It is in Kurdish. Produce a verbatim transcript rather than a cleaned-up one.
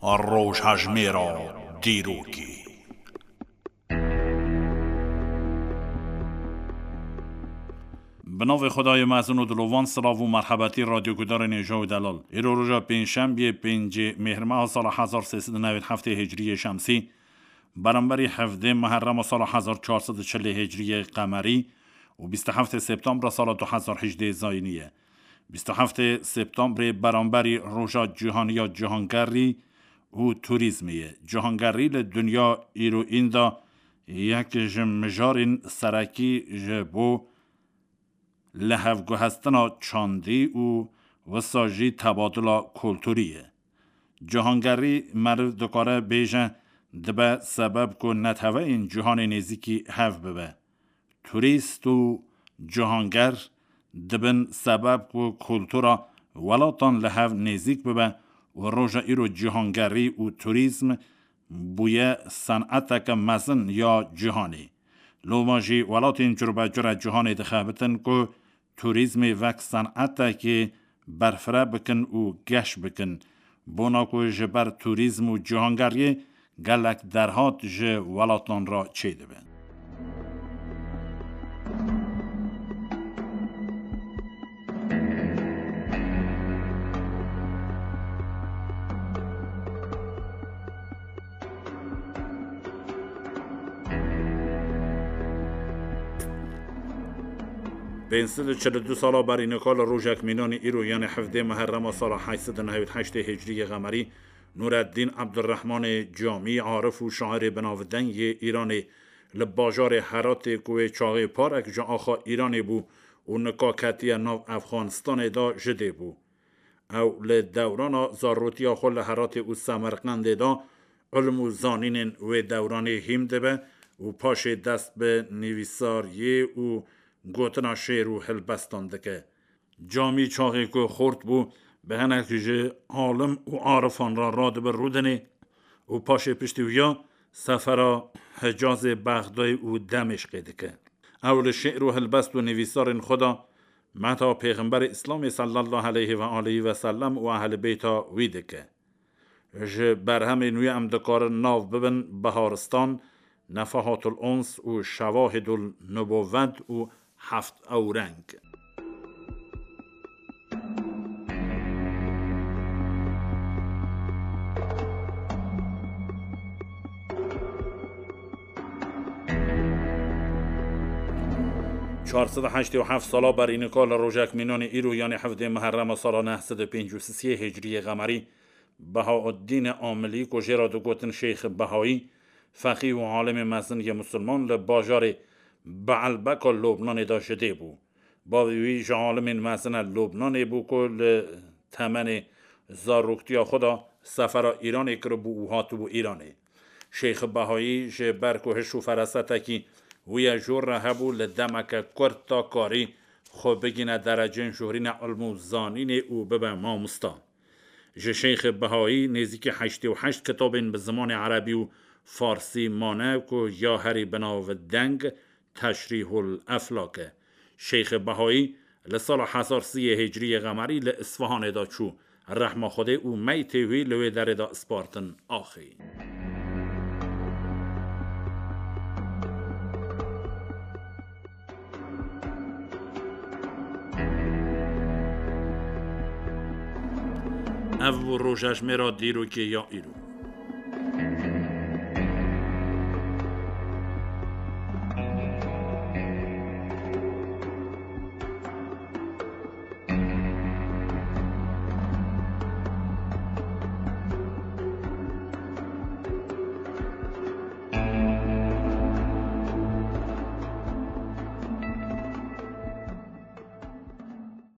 Rojhejmêra dîrokê. Bi navê Xwedayê mezin û dilovan, silav û merhebetî radyogudarên hêja û delal. Îro roja pêncşembiyê, pêncê Mêhrmeha sala hezar sê sed û newêd heftê Hicriyê Şemsî, beramberî hevdê Muherrema sala hezar çar sed û çilê Hicriyê Qemerî û bîst û heftê Septembra sala du hezar hejdê Zayînî ye. Bîst û heftê Septembrê beramberî Roja Cîhanî ya Cîhangerî û Turîzmê ye. Cîhangerî li dinya îroîn de yek ji mijarên serekî ji bo lihevguhestina çandî û wisa jî tebadila kulturî ye. Cîhangerî meriv dikare bêje, dibe sebeb ku neteweyên cîhanê nêzîkî hev bibe. Turîst û cîhanger dibin sebeb ku kultura welatan li hev nêzîk bibe û roja îro cîhangerî û turîzm bûye seneteke mezin ya cîhanê. Loma jî welatên curbecure cîhanê dixebitin ku turîzmê wek senetekê berfireh bikin û geş bikin. Bona ku ji ber turîzm û cîhangeriyê gelek derhat ji welatan re çêdibe. Pênc sed û çil û du sala berî nika li rojek mînanî îro, yanî hevdê Muherrema sala heşt sed û newêd heştê Hicriyê Qemerî, Nureddîn Ebdurrehmanê Camî, arif û şairê binavdeng yê Îranê, li bajarê Heratê ku wê çaxê parek ji axa Îranê bû û nika ketiye nav Efxanistanê de, ji dê bû. Ew li dewrana zarrotiya xwe li Heratê û Semerqendê de ilm û zanînên wê dewranê hîm dibe û paşê dest bi nivîsariyê û gotina şêr û hilbestan dike. Camî çaxê ku xort bû, bi hinek ji alim û arifan re radibe Rûdinê û paşê piştî wiya sefera Hicazê, Bexdayê û Demêşqê dike. Ew li şêr û hilbest û nivîsarên xwe de meta Pêxemberê Îslamê sallallahu aleyhi ve aleyhi ve sellem û ehlê beyta wî dike. Ji berhemên wî em dikarin nav bibin Biharistan, Nefahatul Uns û Şewahidul Nubuwet û Heft Ewreng. Çar sed û heştê û heft sala berî nika li rojek mînanê îro, yanî hevdê Muherrema sala neh sed û pêncî û sisê Hicriyê Qemerî, Behauddînê Amilî, ku jê re digotin Şeyx Behayî, feqî û alimê mezin yê misilman, li bajarê Beelbeka Lubnanê de ji dê bû. Bavê wî ji alimên mezin a Lubnanê bû ku li temenê zaroktiya xwe de sefera Îranê kiribû û hatibû Îranê. Şeyx Behayî ji ber ku hiş û ferasetekî wî ye jor re hebû, li demeke kurt de karî xwe bigîne derecên jorîne ilm û zanînê û bibe mamosta. Ji Şeyxê Behayî nêzîkî heştê û heşt kitabên bi zimanê erebî û farsî mane ku ya herî bi nav deng Teşrîhul Eflak e. Şeyxê Behayî li sala hezar sî yê Hicriyê Qemerî li Isfahanê de çû. Rehma Xwedê û meytê wî li wê derê de spartin axê. Ev bû rojejmêra dîrokê ya îro.